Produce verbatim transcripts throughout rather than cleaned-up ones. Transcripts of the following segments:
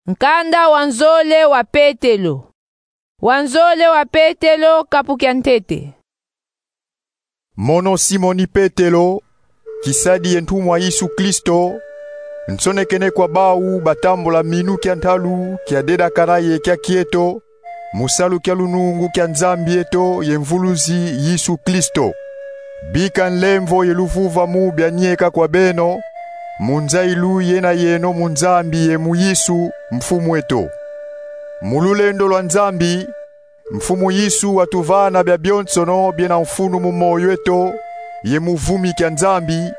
Nkanda wa nzole wa Petelo. Wa nzole wa Petelo, kapu kia ntete. Mono Simoni Petelo, kisadi ye ntumwa Yesu Kristo, nsonekene kwa bau batambula minu kia ntalu kia dedakana ye kia kieto, mu salu kia lunungu kia Nzambi eto ye Mvuluzi Yesu Kristo. Bika nlemvo ye luvuvamu bianieka kwa beno, mu nzayilu yena yeno mu Nzambi ye mu Yesu, Mfumu eto. Mu lulendo lwa Nzambi, Mfumu Yesu watuvana bia bionsono biena mfunu mu moyo eto, ye mu vumi kia Nzambi,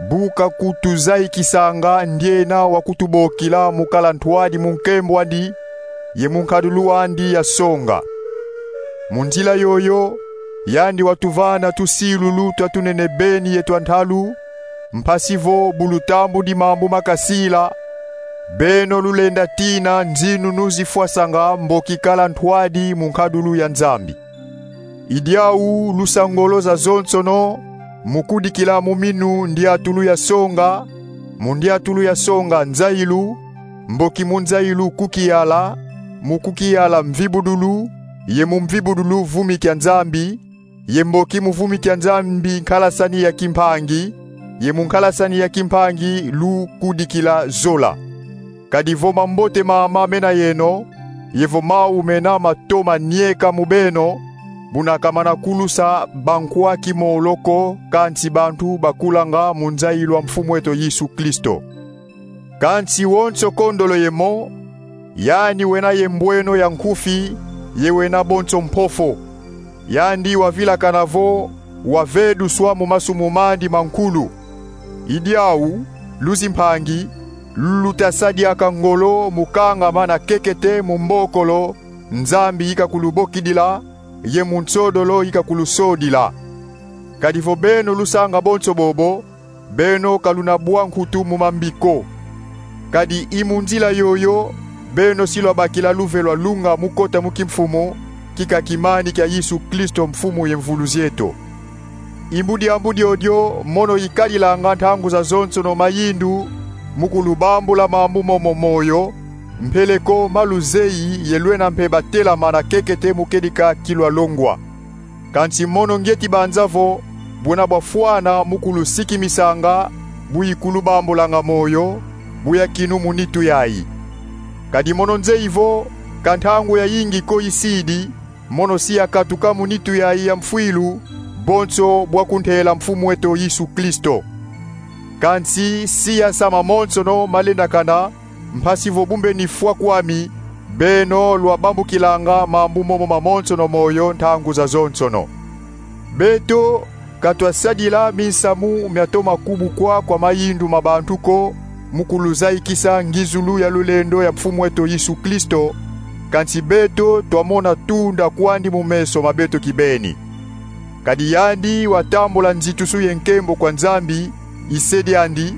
bu kakutuzayikisanga ndiena wakutubokila mu kala ntwadi mu nkembo andi, ye mu nkadulu andi ya songa. Mu nzila yoyo, yandi watuvana tusilulu twa tunene beni ye twa ntalu, mpasi vo bu lutambudi mambu ma kasila, beno lulenda tina nzinunu zifwasanga mboki kala ntwadi mu nkadulu ya Nzambi. I diau lusa ngolo zazonsono, mu kudikila mu minu ndiatulu ya songa, mu ndiatulu ya songa nzayilu, mboki mu nzayilu kukiyala, mu kukiyala mvibudulu, ye mu mvibudulu vumi kia Nzambi, ye mboki mu vumi kia Nzambi nkalasani ya kimpangi, ye mu nkalasani ya kimpangi lukudikila zola. Kadi vo mambote mama mena yeno, ye vo mau mena matoma nieka mu beno, buna ka mana kulusa bankwa kimolo ko, kansi bantu bakulanga mu nzayilu a Mfumu eto Yesu Kristo. Kansi wonso kondolo ye mo, yandi wena ye mbweno ya nkufi, ye wena bonso mpofo. Yandi wavilakana vo waveduswa mu masumu mandi mankulu. I diau, luzimpangi, luta sa diaka ngolo mu kangama na kekete mu mbokolo Nzambi ika kulubokidila, ye mu nsodolo ika kulusodila. Kadi vo beno lusanga bonso bobo, beno ka luna bwa nkutu mu mambi ko. Kadi i mu nzila yoyo, beno si lwabakila luve lwa lunga mu kota mu kimfumu, kika kimani kia Yesu Kristo, Mfumu ye Mvuluzi eto. I mu diambu diodio mono ikadilanga ntangu zazonsono mayindu, mu kulubambula mambu momo moyo, mpeleko ma luzeyi ye lwena mpe batelama na kekete mu kedika ki lwalongwa. Kansi mono ngieti banza vo, buna bwafwana mu kulusikimisanga, bu ikulubambulanga moyo, bu yakinu mu nitu yayi. Kadi mono nzeyi vo, ka ntangu yayingi ko isidi, mono si yakatuka mu nitu yayi ya mfwilu, bonso bwa kuntela Mfumu eto Yesu Kristo. Kansi si yasa mamonsono malendakana, mpasi vo bu mbeni fwa kwami, beno lwabambukilanga mambu momo mamonsono moyo ntangu zazonsono. Beto ka twasadila minsamu miatoma kubukwa kwa mayindu ma bantu ko, mu kuluzayikisa ngizulu ya lulendo ya Mfumu eto Yesu Kristo, kansi beto twamona tunda kwandi mu meso ma beto kibeni. Kadi yandi watambula nzitusu ye nkembo kwa Nzambi, i se diandi,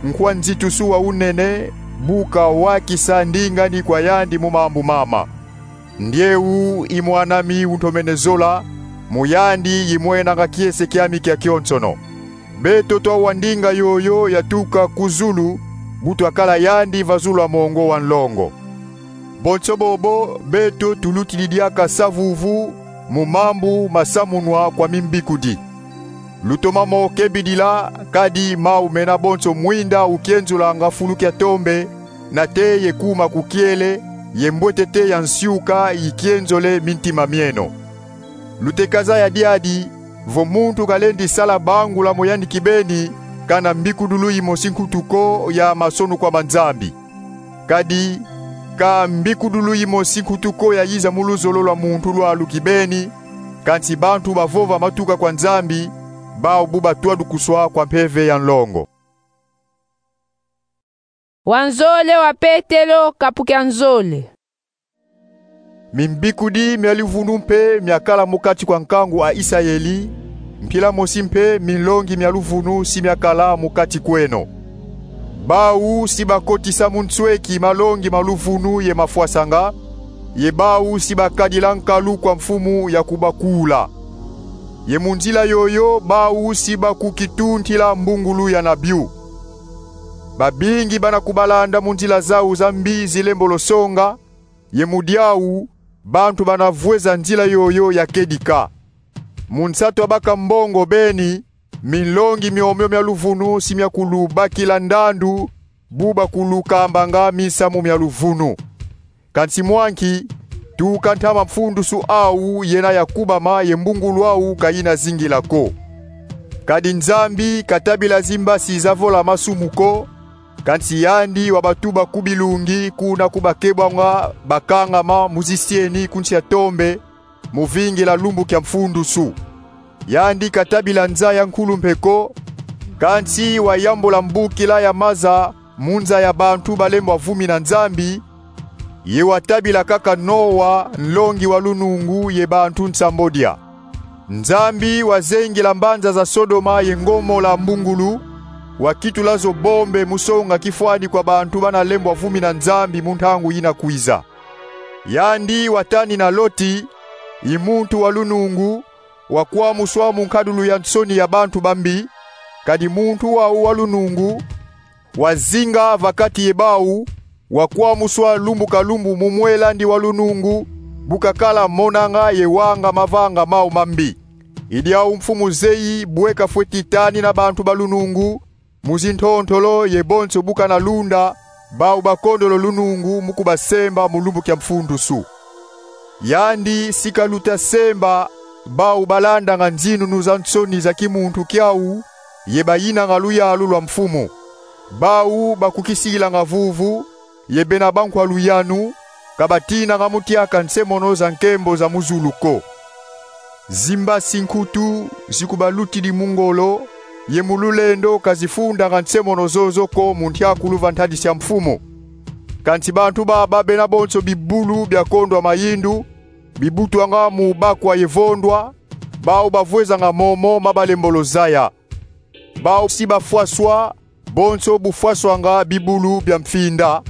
nkwa nzitusu wa unene, bu kawakisa ndinga ni kwa yandi mu mambu mama. Ndieu i mwan'ami untomene zola, mu yandi imwenanga kiese kiami kia kionsono. Beto twawa ndinga yoyo yatuka ku zulu, bu twakala yandi va zulu a mongo wa nlongo. Bonso bobo, beto tulutidi diaka savuvu mu mambu masamunwa kwa mimbikudi. Lutoma mo kebidila, kadi mau mena bonso mwinda ukienzulanga fulu kia tombe, nate ye kuma kukiele, ye mbwetete ya nsiuka ikienzole mintima mieno. Luteka zaya diadi, vo muntu kalendi sala bangula mu yandi kibeni, kana mbikudulu imosi nkutu ko ya masonukwa ma Nzambi. Kadi ka mbikudulu imosi nkutu ko yayiza mu luzolo lwa muntu lwalu kibeni, kansi bantu bavova matuka kwa Nzambi, bau bu batwadukuswa kwa mpeve ya nlongo. Wa nzole wa Petelo, kapu kia nzole. Mimbikudi mia luvunu mpe miakala mu kati kwa nkangu a Isayeli, mpila mosi mpe minlongi mia luvunu si miakala mu kati kweno. Bau si bakotisa mu nsweki malongi ma luvunu ye mafwasanga, ye bau si bakadila nkalu kwa mfumu ya kubakula. Ye mu nzila yoyo bau si bakukituntila mbungulu ya na biu. Babingi bana kubalanda mu nzila zau za mbi zilembolo songa, ye mu diau bantu bana vweza nzila yoyo ya kedika. Mu nsatu a baka mbongo beni, minlongi miomio mia luvunu si mia kulubakila ndandu bu bakulukambanga minsamu mia luvunu. Kansi mwa nki, tuka ntama mfundusu au yena ya kubama ye mbungulu au ka yina zingila ko. Kadi Nzambi katabila zimbasi za vola masumu ko, kansi yandi wabatuba ku bilungi kuna ku bakebwanga bakangama mu zisieni ku nsi ya tombe, mu vingila lumbu kia mfundusu. Yandi katabila nza ya nkulumpe ko, kansi wayambula mbukila ya maza mu nza ya bantu balembwa vumina Nzambi, ye watabila kaka Noa, nlongi wa lunungu, ye bantu nsambodia. Nzambi wazengila mbanza za Sodoma ye Ngomola mbungulu, wakitula zo bombe mu songa kifwani kwa bantu bana lembwa vumina Nzambi mu ntangu yina kwiza. Yandi watanina Loti, i muntu wa lunungu, wakwamuswa mu nkadulu ya nsoni ya bantu bambi, kadi muntu wau wa lunungu wazinga va kati ye bau, wakwamuswa lumbu ka lumbu mu mwelandi wa lunungu, bu kakala monanga ye wanga mavanga mau mambi. I diau mfumu zeyi bwe kafweti tanina bantu ba lunungu, mu zintontolo ye bonso bu kana lunda bau bakondolo lunungu mu kubasemba mu lumbu kia mfundusu. Yandi si kaluta semba bau balandanga nzinunu za nsoni za kimuntu kiau, ye bayinanga luyalu lwa mfumu. Bau bakukisilanga vuvu, ye bena bankwa luyanu, ka batinanga mu tiaka nsemono za nkembo za mu zulu ko. Zimbasi nkutu zikubalutidi mu ngolo, ye mu lulendo ka zifundanga nsemono zozo ko mu ntiakulu va ntadisi ya mfumu. Kansi bantu baba bena bonso bibulu bia kondwa mayindu, bibutwanga mu bakwa ye vondwa, bau bavwezanga momo ma balembolo zaya. Bau si bafwaswa, bonso bu fwaswanga bibulu bia mfinda,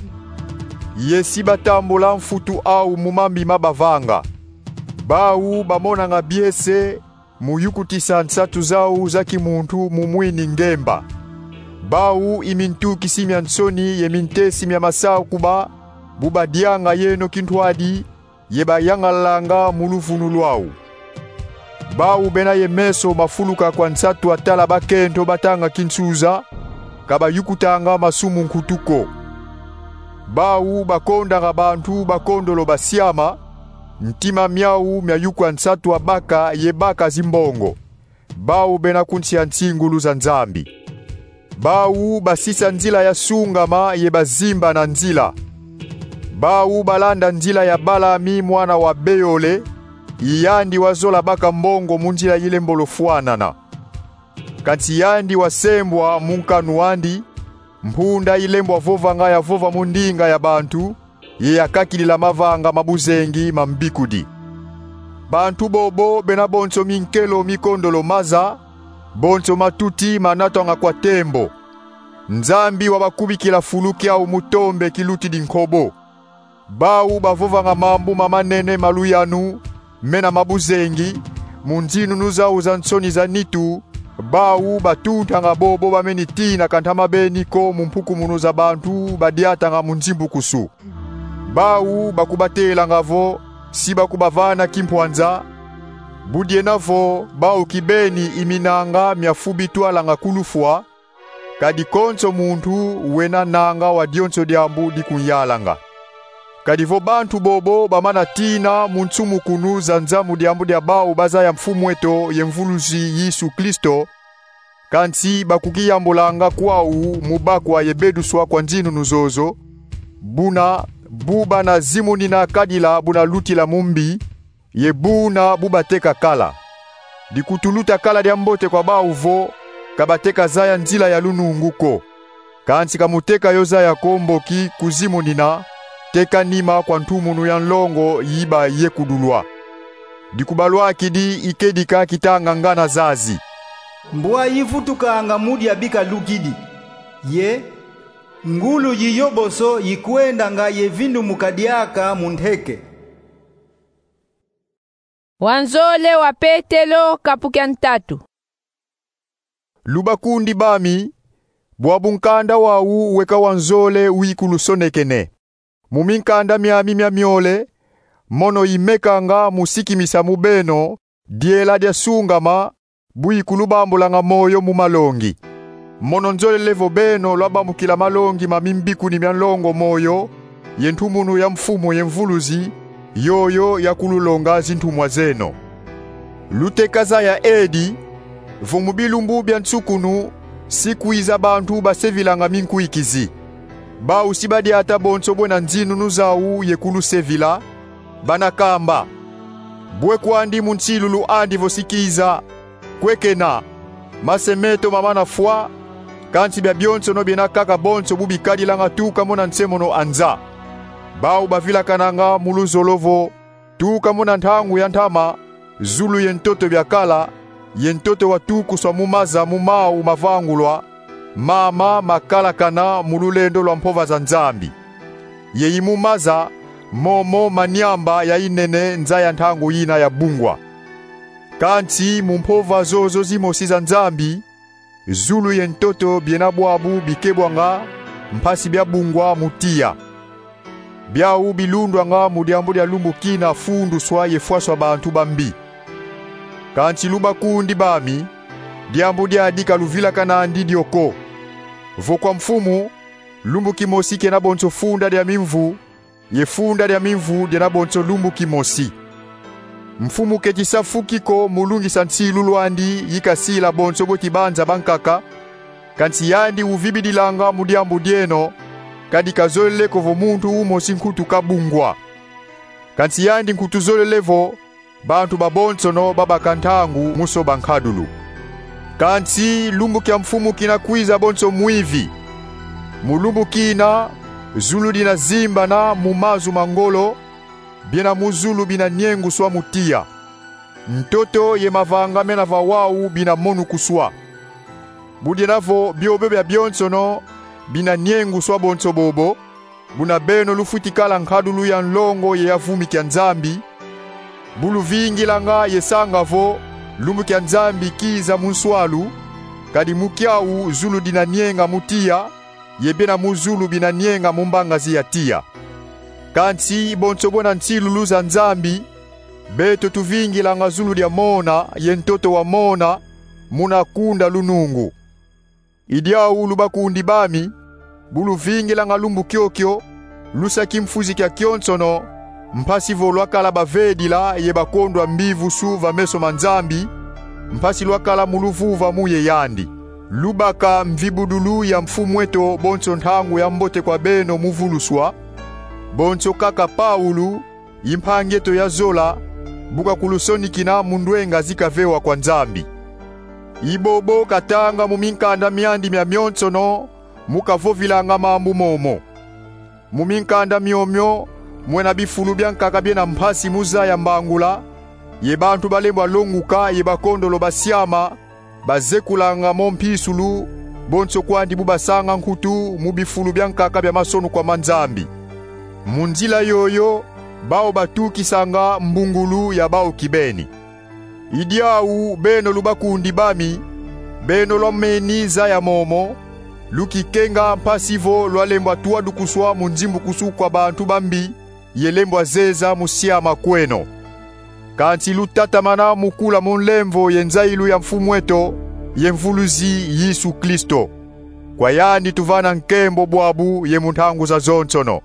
ye si batambula mfutu au mu mambi ma bavanga. Bau bamonanga biese mu yukutisa nsatu zau za kimuntu mu mwini ngemba. Bau i mintukisi mia nsoni ye mintesi mia masakuba, bu badianga yeno kintwadi, ye bayangalanga mu luvunu lwau. Bau bena ye meso mafuluka kwa nsatu atala bakento batanga kinsuza, ka bayukutanga masumu nkutu ko. Bau bakondanga bantu bakondolo basiama, ntima miau mia yukwa nsatu abaka ye baka zimbongo. Bau bena ku nsi ya nsingulu za Nzambi. Bau basisa nzila ya sungama ye bazimbana nzila. Bau balanda nzila ya Balami mwana wa Beole, i yandi wazola baka mbongo mu nzila yilembolo fwanana. Kansi yandi wasembwa mu nkanu andi, mpunda yilembwa vovanga yavova mu ndinga ya bantu, ye yakakidila mavanga ma buzengi ma mbikudi. Bantu bobo bena bonso minkelo mikondolo maza, bonso matuti manatwanga kwa tembo. Nzambi wabakubikila fulu kiau mu tombe kilutidi nkobo. Bau bavovanga mambu ma manene ma luyanu, mena ma buzengi, mu nzinunu zau za nsoni za nitu, bau batuntanga bobo bameni tina ka ntama beni ko mu mpukumunu za bantu badiatanga mu nzimbukusu. Bau bakubatelanga vo si bakubavana kimpwanza, bu diena vo bau kibeni i minanga mia fu bitwalanga ku lufwa, kadi konso muntu wena nanga wa dionso diambu dikunyalanga. Kadi vo bantu bobo bamana tina mu nsumukunu za nza mu diambu dia bau bazaya Mfumu eto ye Mvulusi Yesu Kristo, kansi bakukiyambulanga kwau mu bakwa ye beduswa kwa nzinunu zozo, buna bu bana zimunina kadila buna lutila mu mbi, ye buna bu bateka kala. Dikutuluta kala dia mbote kwa bau vo, ka bateka zaya nzila ya lunungu ko. Kansi ka muteka yo zaya ko mboki kuzimunina, teka nima kwa ntumunu ya nlongo yi bayekudulwa. Dikubalwakidi i kedika kitanga ngana zazi: Mbwa yivutukanga mu dia bikalukidi, ye ngulu yi yoboso yikwendanga ye vindumuka diaka mu nteke. Wanzole wa Petelo, kapu kia ntatu. Lubakundi bami, Bwabu nkanda wau weka wa nzole uikulusonekene. Mu minkanda miami mia miole, mono imekanga mu sikimisa mu beno diela dia sungama, bu ikulubambulanga moyo mu malongi. Mono nzolele vo beno lwabamukila malongi ma mimbikuni mia nlongo moyo ye ntumunu ya Mfumu ye Mvuluzi, yoyo yakululonga zintumwa zeno. Luteka zaya edi, vo mu bilumbu bia nsukunu si kwiza bantu basevilanga minkwikizi. Bau si badiata bonso bwena nzinunu zau ye kulusevila, bana kamba: Bwe kwandi mu nsilulu andi vo si kiza, kwekena, mase meto mamana fwa, kansi biabionsono biena kaka bonso bu bikadilanga tuka mona nsemono a nza. Bau bavilakananga mu luzolo vo, tuka mona ntangu ya ntama, zulu ye ntoto biakala, ye ntoto watukuswa mu maza mu mau mavangulwa, mama makalakana mu lulendo lwa mpova za Nzambi. Ye i mu maza momo maniamba ya inene nza ya ntangu yina ya bungwa. Kansi mu mpova zozo zimosi za Nzambi, zulu ye ntoto biena bwabu bikebwanga mpasi biabungwa mu tiya. Biau bilundwanga mu diambu dia lumbu kina funduswa ye fwaswa bantu bambi. Kansi lubakundi bami, diambu diadi ka luvilakana ndi dio ko. Vo kwa Mfumu, lumbu kimosi kena bonso funda dia mimvu, ye funda dia mimvu diena bonso lumbu kimosi. Mfumu keti sa fu ki ko mu lungisa nsilulu andi yi kasila bonso bweti banza bankaka, kansi yandi uvibidilanga mu diambu dieno, kadi kazolele ko vo muntu umosi nkutu kabungwa. Kansi yandi nkutu zolele vo bantu babonsono babaka ntangu mu soba nkadulu. Kansi lumbu kia Mfumu kina kwiza bonso mwivi. Mu lumbu kina, zulu dina zimbana mu mazu ma ngolo, biena mu zulu bina nienguswa mu tiya. Ntoto ye mavanga mena va wau bina monukuswa. Bu diena vo biobio biabionsono bina nienguswa bonso bobo, buna beno lufwiti kala nkadulu ya nlongo ye ya vumi kia Nzambi, bu luvingilanga ye sanga vo lumbu kia Nzambi kiza mu nswalu, kadi mu kiau zulu dina nienga mu tiya, ye biena mu zulu bina nienga mu mbangazi ya tiya. Kansi bonso bwena nsilulu za Nzambi, beto tuvingilanga zulu dia mona ye ntoto wa mona, muna kunda lunungu. I diau lubakundi bami, bu luvingilanga lumbu kiokio, lusa kimfuzi kiakionsono, mpasi vo lwakala bavedila ye bakondwa mbivusu va meso ma Nzambi, mpasi lwakala mu luvuvamu ye yandi. Lubaka mvibudulu ya Mfumu eto bonso ntangu ya mbote kwa beno mu vuluswa, bonso kaka Paulu, i mpangi eto ya zola, bu kakulusonikina mu ndwenga zi kavewa kwa Nzambi. I bobo katanga mu minkanda miandi miamionsono mu kavovilanga mambu momo. Mu minkanda miomio mwena bifulu biankaka biena mpasi mu zaya mbangula, ye bantu balembwa longuka ye bakondolo basiama, bazekulanga mo mpisulu, bonso kwandi bu basanga nkutu mu bifulu biankaka bia masonukwa ma Nzambi. Mu nzila yoyo, bau batukisanga mbungulu ya bau kibeni. I diau beno lubakundi bami, beno lwameni zaya momo, lukikenga mpasi vo lwalembwa twadukuswa mu nzimbukusu kwa bantu bambi, ye lembwa zeza mu siama kweno. Kansi lutatamana mu kula mu nlemvo ye nzayilu ya Mfumu eto ye Mvuluzi Yesu Kristo. Kwa yandi tuvana nkembo bwabu ye mu ntangu zazonsono.